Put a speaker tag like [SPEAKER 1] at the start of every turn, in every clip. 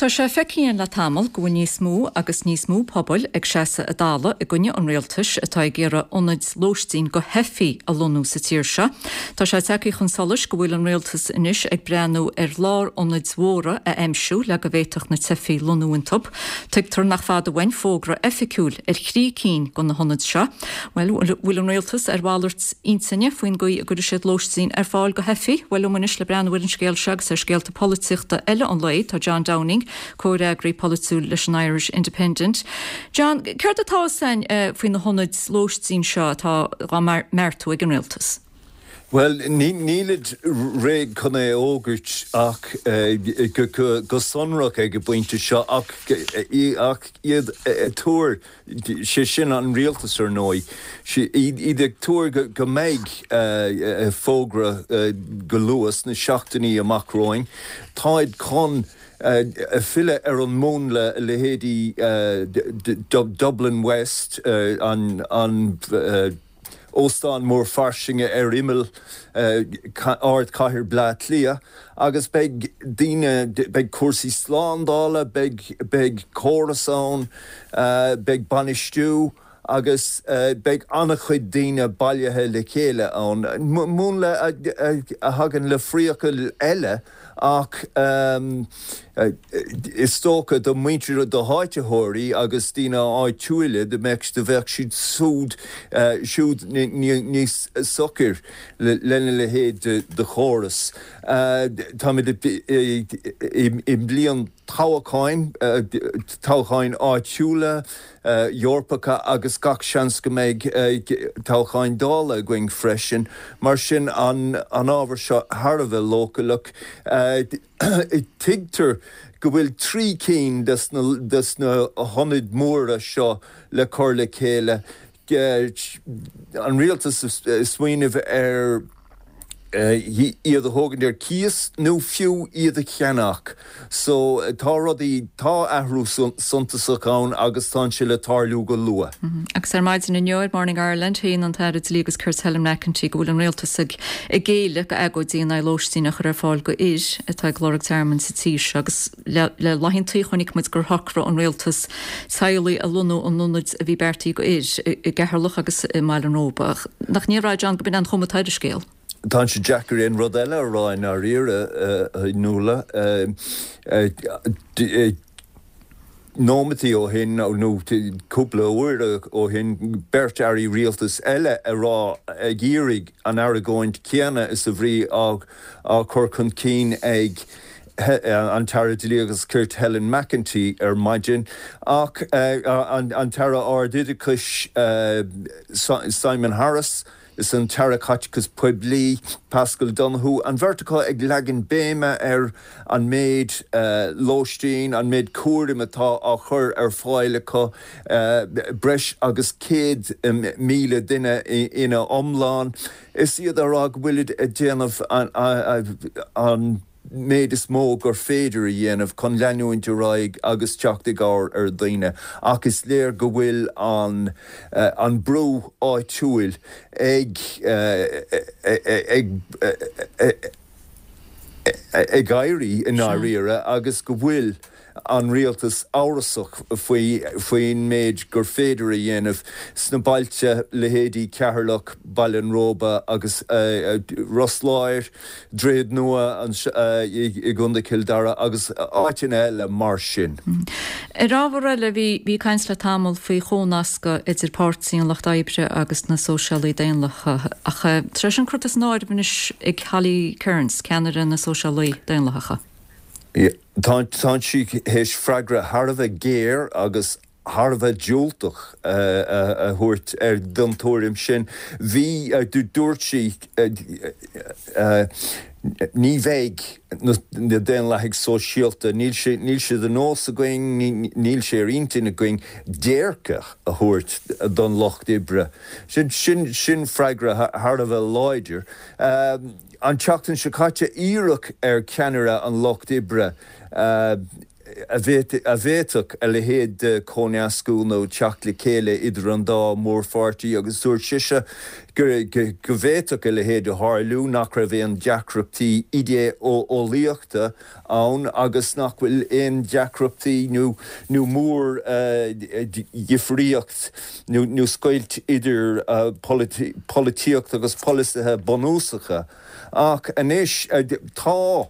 [SPEAKER 1] Tá sé feicthe againn le tamall go bhfuil níos mó agus níos mó pobail ag seasamh a dtalamh i gcoinne an rialtais atá ag iarraidh ionaid lóistín go theifigh a lonnú sa tír seo. Tá sé tagtha chun solais go bhfuil an rialtas anois ag breathnú ar lárionaid mhóra a aimsiú le go bhféadfadh na teifigh lonnú iontu. Tuigtear nach fada uainn fógra oifigiúil ar thrí cinn de na hionaid seo. Bhuel, an bhfuil an rialtas ar mhalairt intinne faoin gcaoi a gcuirfidh siad lóistín ar fáil go theifigh? Bhuel, liom anois le breathnú ar an scéal seo agus ar scéalta polaitíochta eile an lae, tá John Downing, comhfhreagraí polaitiúil leis an Irish Independent. John, céard atá fhios againn faoi na hionaid lóistín seo atá á mbeartú ag an rialtas?
[SPEAKER 2] Bhuel, nílid réidh chun é a fhógairt ach go sonrach ag an bpointe seo ach iad ag tuar sé sin an rialtas ar ndóigh, iad ag tuar go mbeidh fógra go luath sna seachtainí amach romhainn. Táid chun filleadh ar an múnla leithéidí Dublin West, an óstán mór fairsinge ar imeall ardchathair Bleá Cliath agus beidh daoine, beidh cúrsaí slándála, beidh, beidh córas ann, beidh bainistiú agus beidh an-chuid daoine bailithe le chéile ann. Múnla a thagann le priacail eile Ach is dócha do mhuintir, do háititheoirí agus daoine áitiúila, do mbeadh, do bheadh siad súd, siúd níos socair lena leithéid de chóras. Táimid i mbliain toghacháin, toghcháin áitiúla, Eorpacha agus gach seans go mbeidh toghcháin Dála againn freisin. Mar sin, an ábhar seo thar a bheith leochaileach. Tuigtear go bhfuil 3 cinn des na hionaid mhóra seo le cur le chéile. An rialtas ag smaoineamh ar iad a thógaint ar cíos nó fiú iad a cheannach. So tá rudaí, tá athrú suntasach ann agus tá sé le tarlú go luath.
[SPEAKER 1] Agus ar maidin inniu ar Morning Ireland, shéan an tAire Dlí agus Cirt Helen McEntee go bhfuil an rialtas ag géilleadh go agóidí in aghaidh lóistín a chur ar fáil go fhir atá ag lorg tearmainn sa tír seo agus le laethanta chonaic muid gur shocraigh an rialtas teaghlaigh a lonnú in ionaid a bhí beartaithe go fhir i gCeatharlach agus i mBaile an Róba. Ach nach ndéarfá, John, go b'in an chuma atá ar an scéal?
[SPEAKER 2] Tá sé deacair aon rud eile a rá i ndáiríre, a Nuala. Nóimeataí ó shin, nó cúpla uair ó shin, beirt airí rialtais eile ag rá, ag iarraidh an argóint chéanna is a bhí á cur chun cinn ag an tAire Dlí agus Cirt Helen McEntee ar maidin, ach an tAire Ardoideachais Simon Harris is an tAire Caiteachais Poiblí Paschal Donohoe, an bheirt acu ag leagan béime ar an méid lóistín, an méid cúraim atá á chur ar fáil acu, breis agus 100,000 duine ina iomlán, is iad á rá go bhfuilid ag déanamh an méid is mó gur féidir a dhéanamh chun leanúint ar aghaidh agus teacht i gcabhair ar dhaoine ach is léir go bhfuil an an brú áitiúil ag ag ag éirí i ndáiríre agus go bhfuil an rialtas amhrasach faoi faoin méid gur féidir a dhéanamh sna bailte, leithéidí Ceatharlach, Baile an Róba agus Ros Láir, Droichead Nua i gContae Chill Dara agus áiteanna eile mar sin.
[SPEAKER 1] Ar ábhar eile, bhí caint le tamall faoi chónascadh idir Páirtí an Lucht Oibre agus na Sóisialaí Daonlathacha ach tá sé sin curtha san áireamh anois ag Holly Cairns, ceannaire na Sóisialaí Daonlathacha.
[SPEAKER 2] Tá sí théis freagra thar a bheith géar agus thar a bheith diúltach a thabhairt ar don tuairim sin. Bhí, dúirt sí, ní bheidh na Daonlathaigh Sóisialta, níl sé, níl sé de nós againn, níl sé ar intinn againn déirce a thabhairt don lucht oibre. Sin, sin freagra thar a bheith láidir. An tseachtain seo caite, iarradh ar cheannaire an Lucht Oibre. a bhféadfadh a leithéid de chóineascú nó teacht le chéile idir an dá mhórpháirtí agus dúirt sise go bhféadfadh a leithéid a tharlú, nach raibh aon deacrachtaí idé-eolaíochta ann agus nach bhfuil aon deacrachtaí nó mórdhifríocht nó scoilt idir polaitíocht agus polasaithe bunúsacha. Ach anois tá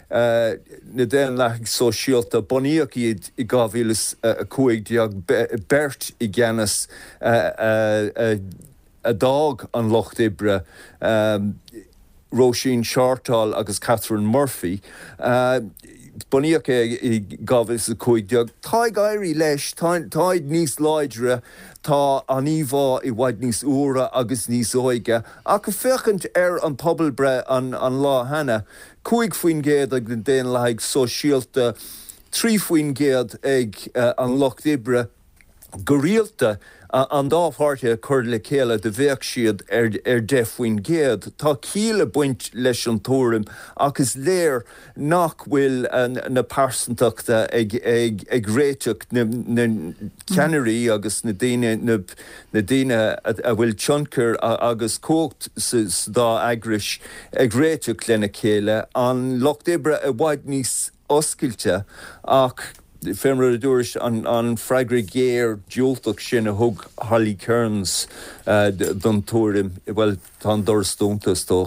[SPEAKER 2] na Daonlathaigh Sóisialta, bunaíodh iad i 2015, beirt i gceannas a d'fhág an Lucht Oibre, Róisín Shortall agus Catherine Murphy. Bunaíodh é i 2015. Tá ag éirí leis, táid níos láidre, tá an íomhá i bhfad níos úire agus níos óige. Ach féachaint ar an pobalbhreith an lá cheana, 5% ag na Daonlathaigh Sóisialta, 3% ag an Lucht Oibre. Go rialta, an dá pháirtí a chur le chéile do bheadh siad ar 10%. Tá ciall ag baint leis an tuairim ach is léir nach bhfuil na pearsantachta ag réiteach na ceannairí agus na daoine na daoine a bhfuil tionchar agus cumhacht sa dá eagrais ag réiteach lena chéile. An Lucht Oibre i bhfad níos oscailte ach fé mar a dúrais, an freagra géar diúltach sin a thug Holly Cairns don tuairim, bhuel, tá an doras dúnta, is dócha.